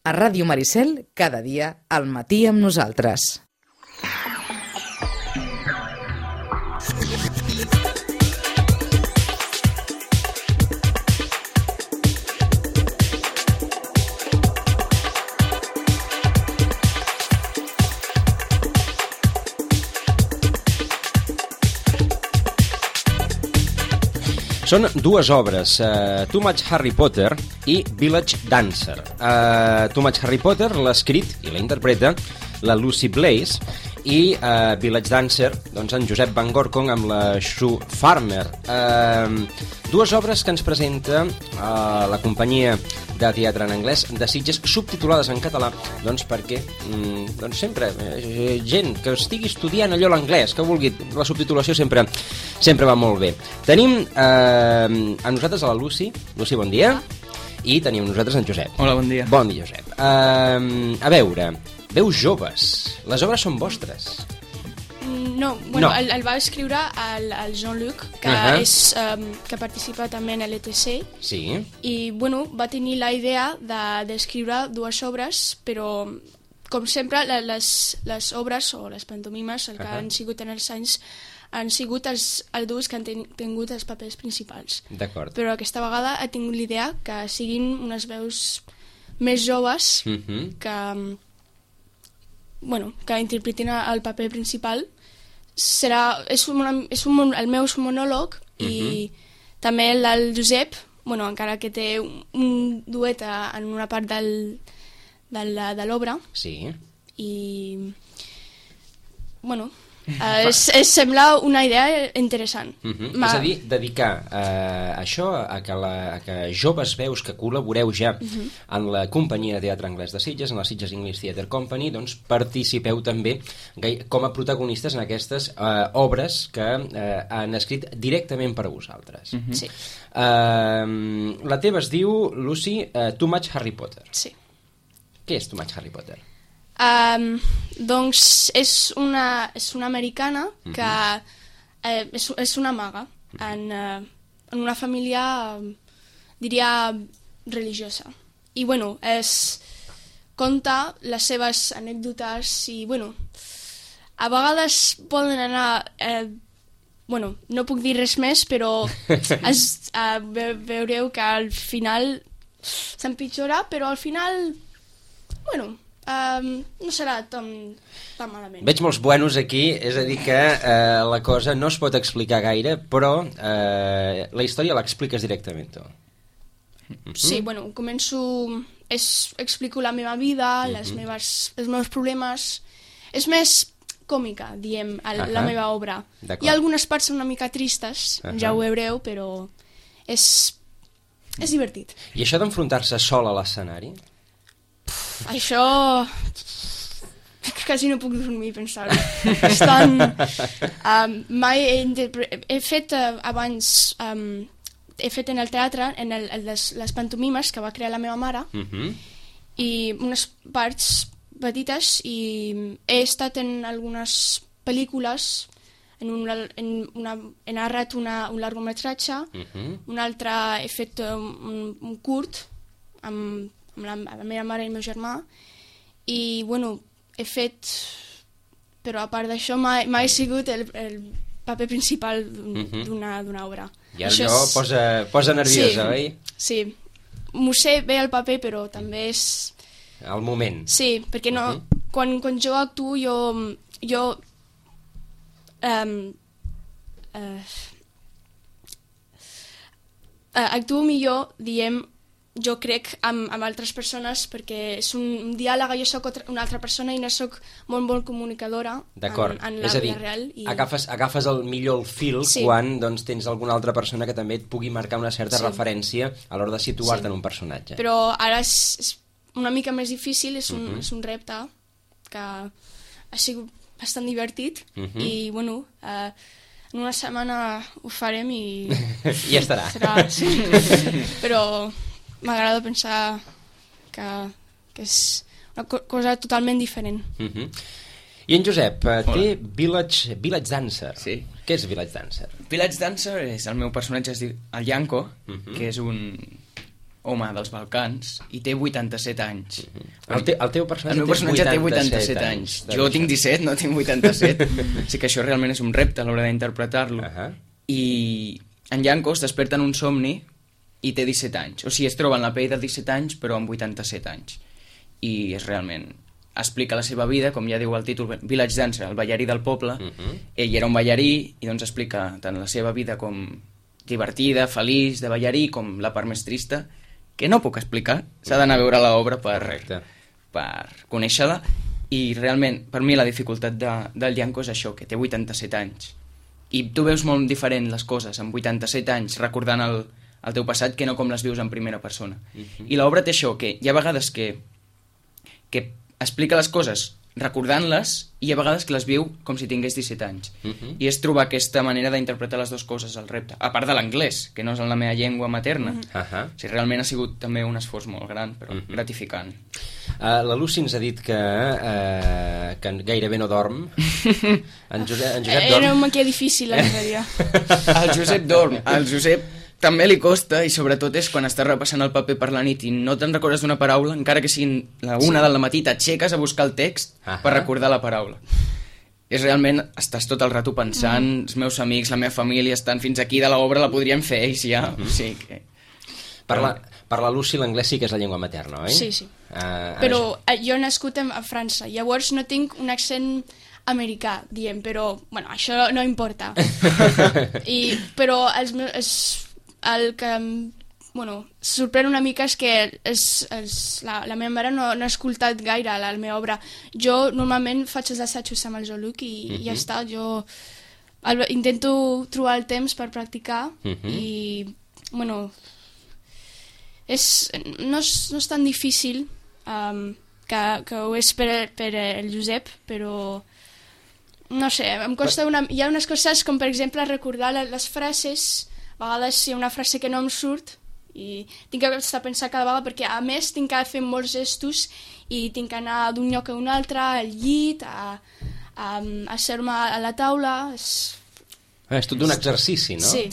A Ràdio Maricel, cada dia, al matí amb nosaltres. Són dues obres, Too Much Harry Potter i Village Dancer. Too Much Harry Potter l'ha escrit i la interpreta la Lucy Blaze i Village Dancer, doncs en Josep Van Gorkom amb la Sue Farmer. Dues obres que ens presenta la companyia de teatre en anglès de Sitges, subtitulades en català, doncs perquè doncs sempre gent que estigui estudiant allò l'anglès, que vulgui, la subtitulació sempre va molt bé. Tenim a nosaltres a la Lucy. Lucy, bon dia. I tenim a nosaltres en Josep. Hola, bon dia. Bon dia, Josep. A veure, veus joves. Les obres són vostres. No, bueno, no. El va escriure el Jean-Luc, que que participa també en l'ETC. Sí. I, bueno, va tenir la idea d'escriure dues obres, però, com sempre, les obres o les pantomimes, el que han sigut en els anys, han sigut els adults que han tingut els papers principals. D'acord. Però aquesta vegada ha tingut l'idea que siguin unes veus més joves que interpretin el paper principal. És el meu monòleg i també el Josep, encara que té un duet en una part de l'obra. Sí. I sembla una idea interessant. És a dir, dedicar això a que joves veus que col·laboreu ja en la companyia de teatre anglès de Sitges, en la Sitges English Theatre Company, doncs participeu també com a protagonistes en aquestes obres que han escrit directament per a vosaltres. Sí. La teva es diu, Lucy, Too Much Harry Potter. Sí. Què és Too Much Harry Potter? Doncs és una americana que és una maga en una família, diria, religiosa. I, conta les seves anècdotes i, a vegades poden anar... no puc dir res més, però veureu que al final s'empitjora, però al final, no serà tan malament. Veig molts buenos aquí, és a dir que la cosa no es pot explicar gaire, però la història l'expliques directament tu. Sí, començo, explico la meva vida, els meus problemes. És més còmica, diem, la meva obra. Hi ha algunes parts una mica tristes, ja ho veureu, però és divertit. I això d'enfrontar-se sol a l'escenari? Això... quasi no puc dormir pensar-ho. Mai he fet abans... he fet en el teatre, en les pantomimes que va crear la meva mare, i unes parts petites, i he estat en algunes pel·lícules, he narrat un llargometratge, un altre he fet un curt amb la meva mare i el meu germà, i he fet, però a part d'això mai he sigut el paper principal d'una obra. I allò posa nerviosa, oi? Sí, m'ho sé bé el paper, però també és... El moment. Sí, perquè quan jo actuo, jo actuo millor, diem, jo crec, amb altres persones, perquè és un diàleg, jo soc una altra persona i no soc molt comunicadora en la vida real. I... agafes el millor fil quan tens alguna altra persona que també et pugui marcar una certa referència a l'hora de situar-te en un personatge. Però ara és una mica més difícil, és un repte que ha sigut bastant divertit i, en una setmana ho farem i... I estarà. Sí. Però m'agrada pensar que és una cosa totalment diferent. I en Josep, té Village Dancer. Sí. Què és Village Dancer? Village Dancer és el meu personatge, es diu el Yanko, que és un home dels Balcans i té 87 anys. El teu personatge, El meu personatge té 87 anys. Jo tinc 17, no tinc 87. Així que això realment és un repte a l'hora d'interpretar-lo. I en Yanko es desperta en un somni i té 17 anys. O sigui, es troba en la pell de 17 anys, però amb 87 anys. I és realment... explica la seva vida, com ja diu el títol, Village Dancer, el ballarí del poble. Ell era un ballarí i doncs explica tant la seva vida com divertida, feliç, de ballarí, com la part més trista, que no puc explicar. S'ha d'anar a veure l'obra per conèixer-la. I realment, per mi, la dificultat del Yanko és això, que té 87 anys. I tu veus molt diferent les coses amb 87 anys, recordant el teu passat, que no com les vius en primera persona. I l'obra té això, que hi ha vegades que explica les coses recordant-les i a vegades que les viu com si tingués 17 anys. I és trobar aquesta manera d'interpretar les dues coses al repte. A part de l'anglès, que no és la meva llengua materna. O sigui, realment ha sigut també un esforç molt gran, però gratificant. La Lucy ens ha dit que gairebé no dorm. En Josep dorm. Era una mica difícil, en realitat. El Josep dorm. El Josep també li costa, i sobretot és quan estàs repassant el paper per la nit i no te'n recordes d'una paraula, encara que sigui la 1 del matí, t'aixeques a buscar el text per recordar la paraula. És realment, estàs tot el rato pensant, els meus amics, la meva família estan fins aquí de l'obra, la podrien fer ells ja. O sigui que... Per la Lucy l'anglès sí que és la llengua materna, oi? Sí. Però jo he nascut a França, llavors no tinc un accent americà, diem, però bueno, això no importa. Però el que sorprèn una mica és que la meva mare no ha escoltat gaire la meva obra. Jo normalment faig els assajos amb el Jean-Luc i ja està. Jo intento trobar el temps per practicar i bueno, no és tan difícil que ho és per el Josep, però no sé, em costa hi ha unes coses com per exemple recordar les frases. A vegades hi ha una frase que no em surt i tinc que estar pensant cada vegada perquè a més tinc que fer molts gestos i tinc que anar d'un lloc a un altre, al llit, a asseure-me a la taula. És tot un exercici, no? Sí,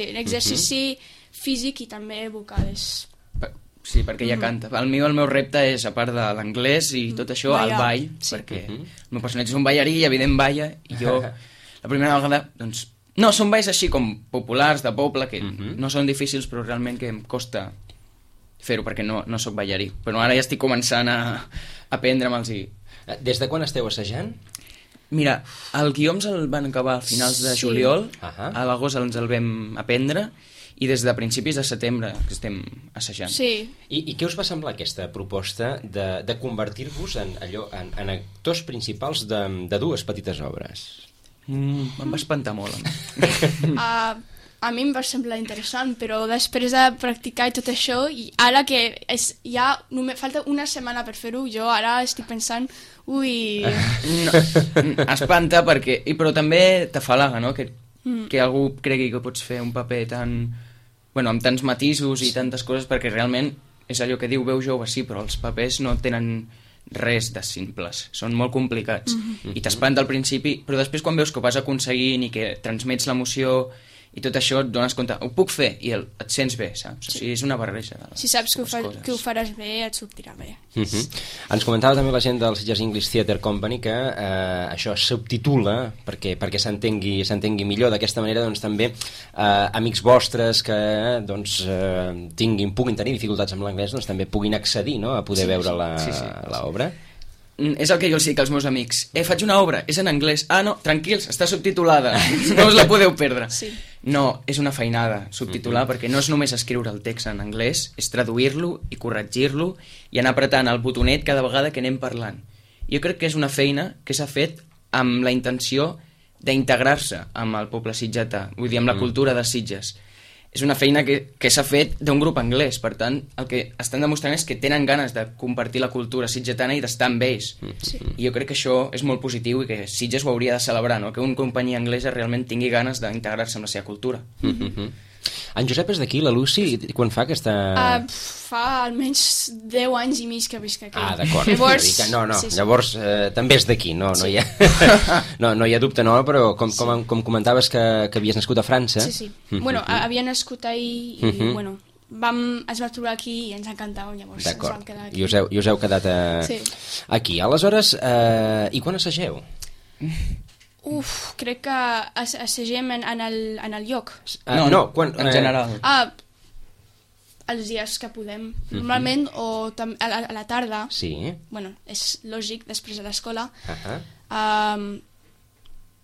un exercici físic i també vocal. Sí, perquè ja canta. El meu repte és, a part de l'anglès i tot això, el ball, perquè el meu personatge és un ballarí i evident balla, i jo la primera vegada, doncs, no, són balls així com populars, de poble, que no són difícils, però realment que em costa fer-ho, perquè no sóc ballarí. Però ara ja estic començant a aprendre'ls. Des de quan esteu assajant? Mira, el guió ens el van acabar a finals de juliol, a l'agost ens el vam aprendre, i des de principis de setembre que estem assajant. Sí. I què us va semblar aquesta proposta de convertir-vos en actors principals de dues petites obres? Em va espantar molt. A mi em va semblar interessant, però després de practicar i tot això, i ara que ja falta una setmana per fer-ho, jo ara estic pensant, espanta perquè... Però també t'afalaga, no? Que algú cregui que pots fer un paper amb tants matisos i tantes coses, perquè realment és allò que diu veu jove, sí, però els papers no tenen res de simples, són molt complicats i t'espanta al principi, però després quan veus que ho vas aconseguint i que transmets l'emoció i tot això et dones compte, ho puc fer, i et sents bé, saps? O sigui, és una barreja de les si saps que ho faràs bé, et sortirà bé. Ens comentava també la gent del Sitges English Theatre Company que això es subtitula perquè s'entengui millor. D'aquesta manera, doncs, també amics vostres que puguin tenir dificultats amb l'anglès, doncs també puguin accedir, no?, a poder veure l'obra. És el que jo els dic als meus amics. Faig una obra, és en anglès. No, tranquils, està subtitulada. No us la podeu perdre. No, és una feinada subtitular, perquè no és només escriure el text en anglès, és traduir-lo i corregir-lo i anar apretant el botonet cada vegada que anem parlant. Jo crec que és una feina que s'ha fet amb la intenció d'integrar-se amb el poble sitgetà, vull dir, amb la cultura de Sitges. És una feina que s'ha fet d'un grup anglès, per tant, el que estan demostrant és que tenen ganes de compartir la cultura sitgetana i d'estar amb ells. I jo crec que això és molt positiu i que Sitges ho hauria de celebrar, no? Que una companyia anglesa realment tingui ganes d'integrar-se amb la seva cultura. En Josep és d'aquí, la Lucy, quan fa aquesta... Fa almenys 10 anys i mig que visc aquí. D'acord. Llavors també és d'aquí, no hi ha dubte, no, però com comentaves que havies nascut a França... Sí. Bueno, havia nascut ahir i, es va trobar aquí i ens encantava, llavors ens vam quedar aquí. I us heu quedat aquí. Aleshores, i quan assageu? Crec que assagem en el lloc. En general. Els dies que podem. Normalment, o a la tarda. Sí. Bueno, és lògic, després de l'escola.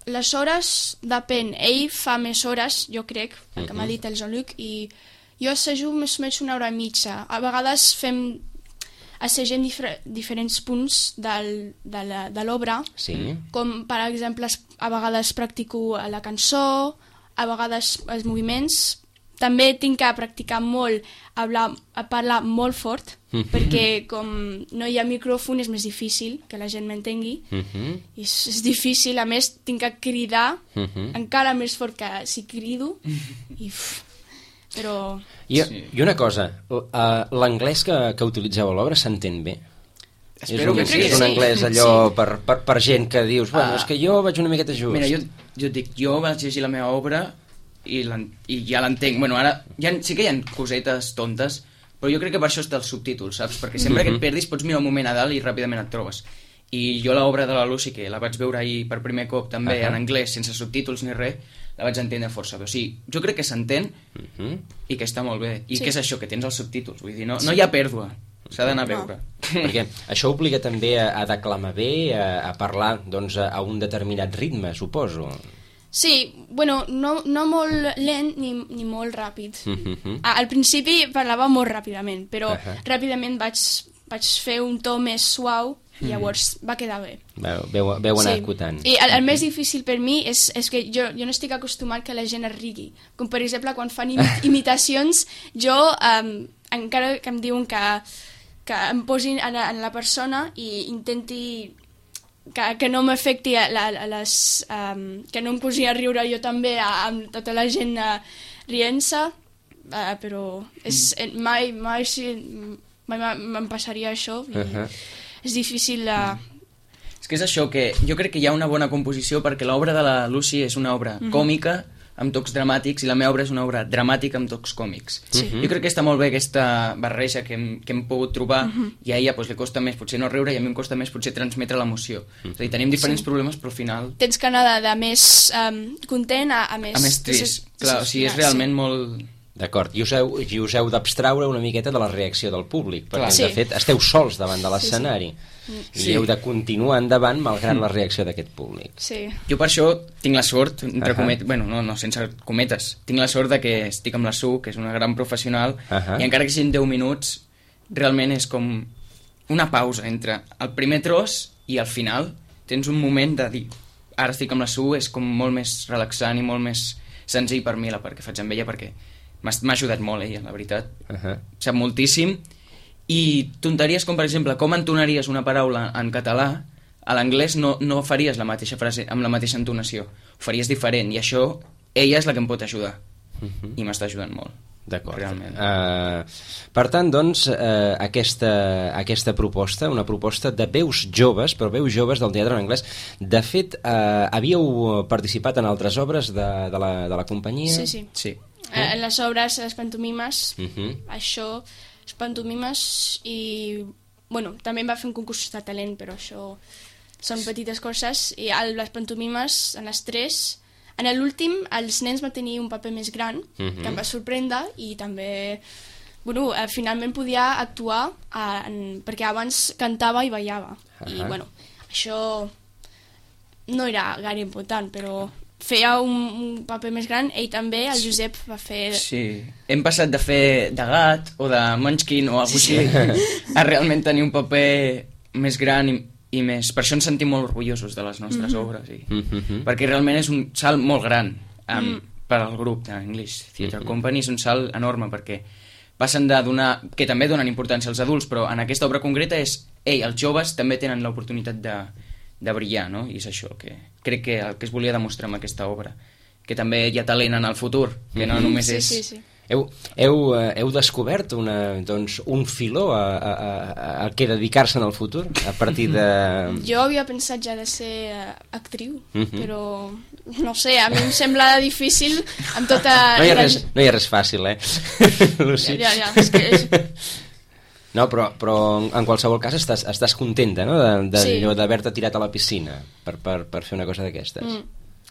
Les hores, depèn. Ell fa més hores, jo crec, el que m'ha dit el Jean-Luc, i jo assajo més o menys 1 hora i mitja. A vegades assagem diferents punts de l'obra, com per exemple a vegades practico la cançó, a vegades els moviments. També tinc que practicar molt a parlar molt fort, perquè com no hi ha micròfon és més difícil que la gent m'entengui. És difícil, a més tinc que cridar encara més fort que si crido. Però... I una cosa, l'anglès que utilitzeu a l'obra s'entén bé? Espero que sí. És un anglès allò per gent que dius, bueno, és que jo vaig una miqueta just. Mira, jo et dic, jo vaig llegir la meva obra i ja l'entenc. Bueno, ara sí que hi ha cosetes tontes, però jo crec que per això està els subtítols, saps? Perquè sempre que et perdis pots mirar un moment a dalt i ràpidament et trobes. I jo l'obra de la Lucy, que la vaig veure ahir per primer cop també en anglès, sense subtítols ni res, la vaig entendre força bé. O sigui, jo crec que s'entén i que està molt bé. I que és això, que tens els subtítols. Vull dir, no hi ha pèrdua. S'ha d'anar a veure. Perquè això obliga també a declamar bé, a parlar doncs, a un determinat ritme, suposo. Sí, bueno, no molt lent ni molt ràpid. Al principi parlava molt ràpidament, però ràpidament vaig fer un to més suau i llavors va quedar bé. Veu anar acotant. I el més difícil per mi és que jo no estic acostumat que la gent es rigui. Com per exemple quan fan imitacions, jo encara que em diuen que em posin en la persona i intenti que no m'afecti que no em posi a riure jo també amb tota la gent rient-se, però mai me'n passaria això i és difícil És que és això, que jo crec que hi ha una bona composició perquè l'obra de la Lucy és una obra còmica amb tocs dramàtics i la meva obra és una obra dramàtica amb tocs còmics. Jo crec que està molt bé aquesta barreja que hem pogut trobar i a ella li costa més potser no riure i a mi em costa més potser transmetre l'emoció. És a dir, tenim diferents problemes però al final... Tens que anar de més content a més... A més trist, clar, o sigui, és realment molt... D'acord, i us heu d'abstraure una miqueta de la reacció del públic, perquè de fet esteu sols davant de l'escenari i heu de continuar endavant malgrat la reacció d'aquest públic. Jo per això tinc la sort, entre cometes, bueno, no, sense cometes, tinc la sort de que estic amb la Su, que és una gran professional, i encara que siguin 10 minuts, realment és com una pausa entre el primer tros i el final. Tens un moment de dir, ara estic amb la Su, és com molt més relaxant i molt més senzill per mi perquè faig amb ella, perquè m'ha ajudat molt ella, la veritat. Sap moltíssim. I tonteries com, per exemple, com entonaries una paraula en català, a l'anglès no faries la mateixa frase amb la mateixa entonació. Ho faries diferent, i això, ella és la que em pot ajudar. I m'està ajudant molt. D'acord. Realment. Per tant, doncs, aquesta proposta, una proposta de veus joves, però veus joves del teatre en anglès. De fet, havíeu participat en altres obres de la companyia? Sí. En les obres, les pantomimes, això, les pantomimes i, bueno, també em va fer un concurs de talent, però això són petites coses, i les pantomimes, en les 3, en l'últim, els nens van tenir un paper més gran, que em va sorprendre, i també, bueno, finalment podia actuar, perquè abans cantava i ballava, i, bueno, això no era gaire important, però... feia un paper més gran, ell també, el Josep va fer... Sí, hem passat de fer de gat o de Munchkin o alguna cosa així a realment tenir un paper més gran i més... Per això ens sentim molt orgullosos de les nostres obres, perquè realment és un salt molt gran per al grup d'English Theatre Company, és un salt enorme perquè passen de donar... que també donen importància als adults, però en aquesta obra concreta és... els joves també tenen l'oportunitat de brillar, no? I és això que crec que el que es volia demostrar amb aquesta obra, que també hi ha talent en el futur, que no només és Heu descobert un filó a què dedicar-se en el futur a partir de... Jo havia pensat ja de ser actriu, però no sé, a mi em sembla difícil amb tota... No hi ha res fàcil, Lucy? Ja, és que... No, però en qualsevol cas estàs contenta, no?, Sí. d'haver-te tirat a la piscina per fer una cosa d'aquestes.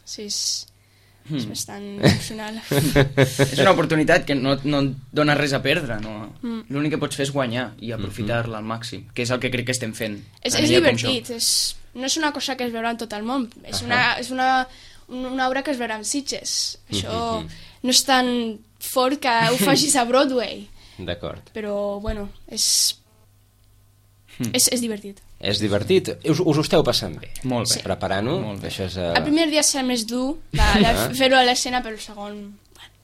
Sí, és bastant emocional. És una oportunitat que no et dona res a perdre, no? L'únic que pots fer és guanyar i aprofitar-la al màxim, que és el que crec que estem fent. És divertit, no és una cosa que es veurà en tot el món, és una obra que es veurà en Sitges. Això no és tan fort que ho facis a Broadway. D'acord. Però, bueno, és divertit. És divertit. Us ho esteu passant bé? Molt bé. Sí. Preparant-ho? Molt bé. Això és, El primer dia serà més dur de fer-ho a l'escena, però el segon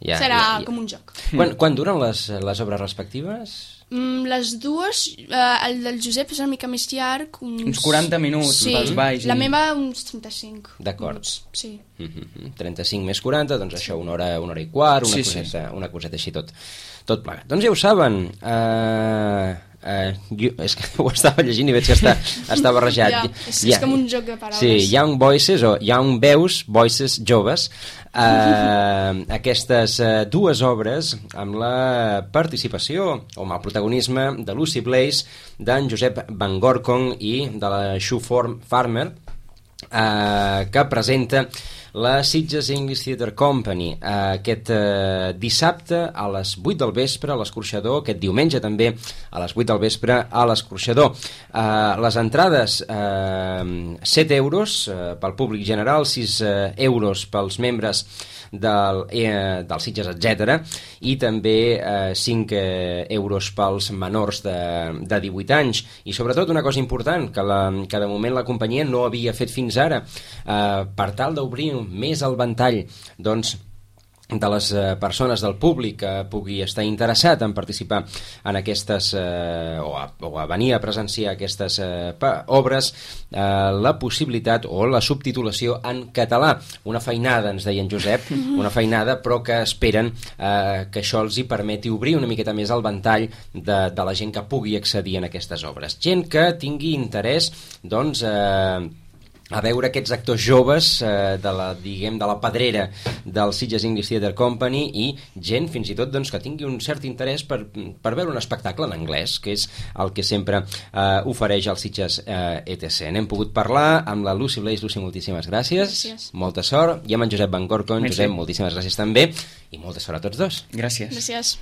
serà com un joc. Quan duren les obres respectives? Les dues, el del Josep és una mica més llarg, uns 40 minuts pels balls. La meva uns 35. D'acord. Sí. 35 més 40, doncs això, una hora i quart, una coseta així tot plegat. Doncs ja ho saben, és que ho estava llegint i veig que està barrejat. És com un joc de paraules. Sí, Young Voices o Young Veus, Voices joves, aquestes dues obres amb la participació o amb el protagonisme de Lucy Blaze, d'en Josep Van Gorkom i de la Sue Farmer, que presenta la Sitges English Theatre Company aquest dissabte a les 8 del vespre a l'Escorxador, aquest diumenge també a les 8 del vespre a l'Escorxador. Les entrades 7 euros pel públic general, 6 euros pels membres del Sitges, etc. I també 5 euros pels menors de 18 anys. I sobretot una cosa important que de moment la companyia no havia fet fins ara, per tal d'obrir més el ventall de les persones del públic que pugui estar interessat en participar en aquestes o a venir a presenciar aquestes obres, la possibilitat o la subtitulació en català. Una feinada, ens deia en Josep, una feinada, però que esperen que això els hi permeti obrir una miqueta més el ventall de la gent que pugui accedir en aquestes obres. Gent que tingui interès, doncs, a veure aquests actors joves de la pedrera del Sitges English Theatre Company, i gent fins i tot doncs, que tingui un cert interès per veure un espectacle en anglès, que és el que sempre ofereix el Sitges ETC. N'hem pogut parlar amb la Lucy Blaze. Lucy, moltíssimes gràcies. Molta sort. I amb en Josep Van Gorkom. Josep, moltíssimes gràcies també, i molta sort a tots dos. Gràcies. Gràcies.